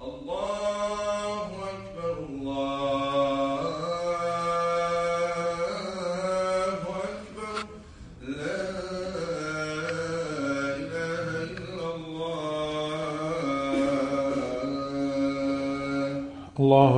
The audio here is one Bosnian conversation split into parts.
الله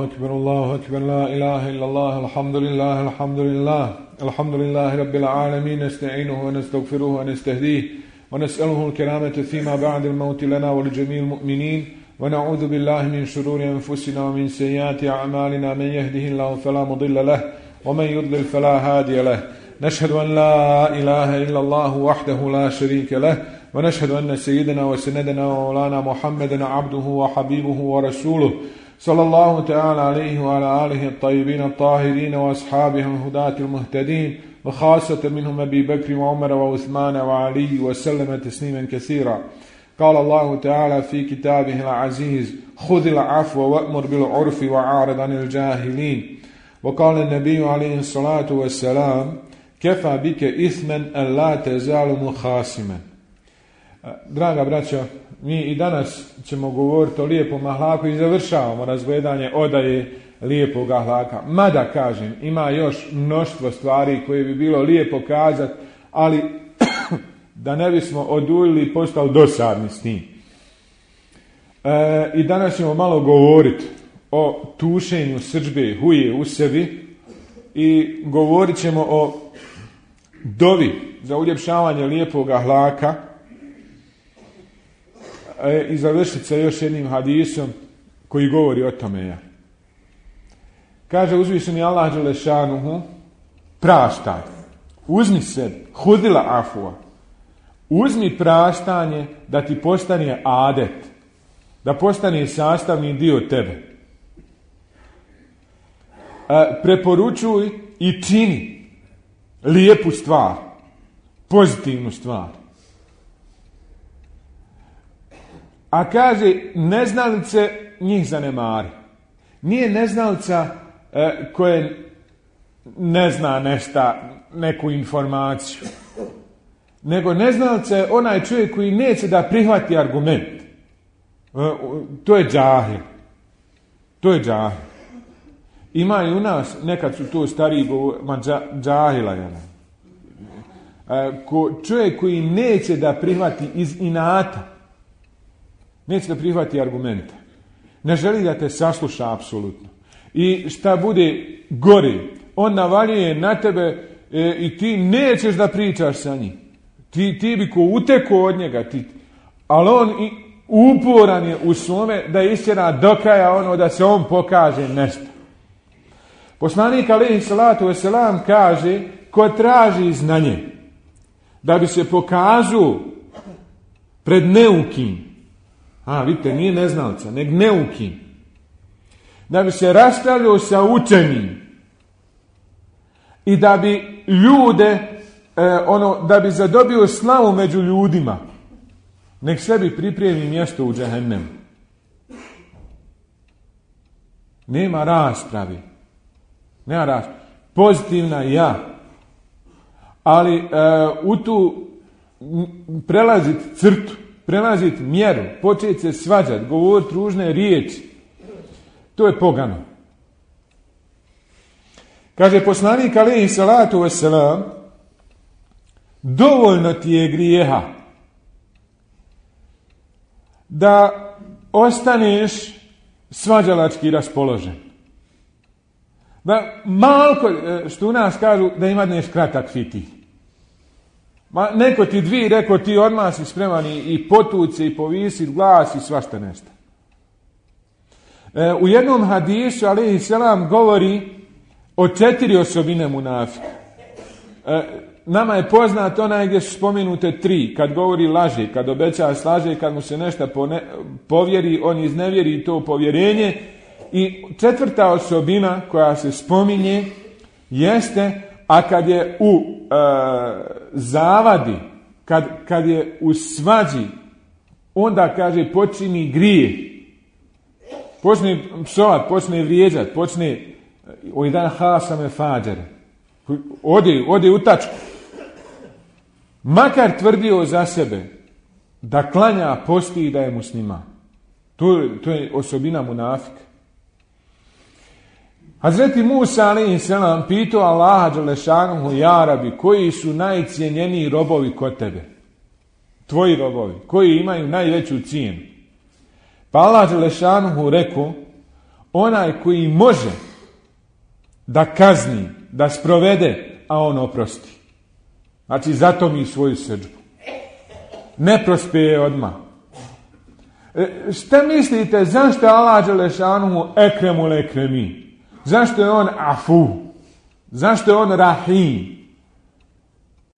أكبر الله أكبر لا إله إلا الله الحمد لله الحمد لله الحمد لله رب العالمين نستعينه ونستغفره ونستهديه ونسأله الكرامة فيما بعد الموت لنا ولجميع المؤمنين ونعوذ بالله من شرور أنفسنا ومن سيئات أعمالنا من يهده الله فلا مضل له ومن يضلل فلا هادي له نشهد أن لا إله إلا الله وحده لا شريك له ونشهد أن سيدنا وسندنا ومولانا محمدا عبده وحبيبه ورسوله صلى الله تعالى عليه وعلى آله الطيبين الطاهرين وأصحابه الهداة المهتدين وخاصة منهم أبي بكر وعمر وعثمان وعلي وسلم تسليما كثيرا. قال الله تعالى في كتابه العزيز خذ العفو وأمر بالعرف وعارض عن الجاهلين. وقال النبي عليه الصلاة والسلام كفى بك إثما أن لا تزال مخاصما. Draga braćo, mi i danas ćemo govoriti o lijepom ahlaku i završavamo razgledanje odaje lijepog ahlaka. Mada, kažem, ima još mnoštvo stvari koje bi bilo lijepo kazati, ali da ne bismo oduljili i postali dosadni s tim. I danas ćemo malo govoriti o tušenju srdžbe, huje u sebi i govorit ćemo o dovi za uljepšavanje lijepog ahlaka. I završiti sa još jednim hadisom koji govori o tome. Kaže uzvišeni Allah dželešanuhu, praštaj, uzmi se, hudila afua, uzmi praštanje da ti postane adet, da postane sastavni dio tebe. Preporučuj i čini lijepu stvar, pozitivnu stvar. A kaže, neznalice njih zanemari. Nije neznalica koje ne zna neku informaciju. Nego neznalica je onaj čovjek koji neće da prihvati argument. To je džahil. To je džahil. Ima i u nas, nekad su to stariji džahila. Čovjek koji neće da prihvati iz inata. Neće da prihvati argumente. Ne želi da te sasluša apsolutno. I šta bude gori, on navaljuje na tebe i ti nećeš da pričaš sa njim. Ti bi ko uteko od njega. Ali on uporan je u svome da istjera do kraja da se on pokaže nešto. Poslanik alejhi salatu vesselam kaže, ko traži znanje da bi se pokazao pred neukim, vidite, nije neznalca, nego neukim. Da bi se raspravljao sa učenim i da bi ljude, da bi zadobio slavu među ljudima, nek sebi pripremi mjesto u džehennemu. Nema raspravi. Nema raspravi. Pozitivna ja. Ali u tu prelaziti crtu, prelaziti mjeru, početi se svađati, govoriti ružne riječi. To je pogano. Kaže poslanik alejhi salatu vesselam, dovoljno ti je grijeha da ostaneš svađalački raspoložen. Da malko, što u nas kažu, da imadneš kratak fiti. Neko ti dvi, rekao ti odmah si spreman i potući i povisiti glas i svašta nešto. U jednom hadisu alejhi selam govori o 4 osobine munafika. Nama je poznato onaj gdje su spomenute 3, kad govori laže, kad obeća slaže, kad mu se nešto povjeri, on iznevjeri to povjerenje. I 4. osobina koja se spominje jeste, a kad je u zavadi, kad je u svađi, onda kaže počini grije. Počne psovat, počne vrijeđat, počne o jedan hasame fađare. Ode u tačku. Makar tvrdio za sebe da klanja, posti i da je musliman. To je osobina munafika. Hazreti Musa a.s. pitao Allaha dželešanuhu, ja Rabi, koji su najcijenjeniji robovi kod tebe? Tvoji robovi, koji imaju najveću cijenu. Pa Allah dželešanuhu rekao, onaj koji može da kazni, da sprovede, a on oprosti. Znači, zato mi svoju srdžbu. Ne prospeje odmah. Šta mislite, zašto je Allah dželešanuhu ekremul ekremi? Zašto je on afu? Zašto je on rahim?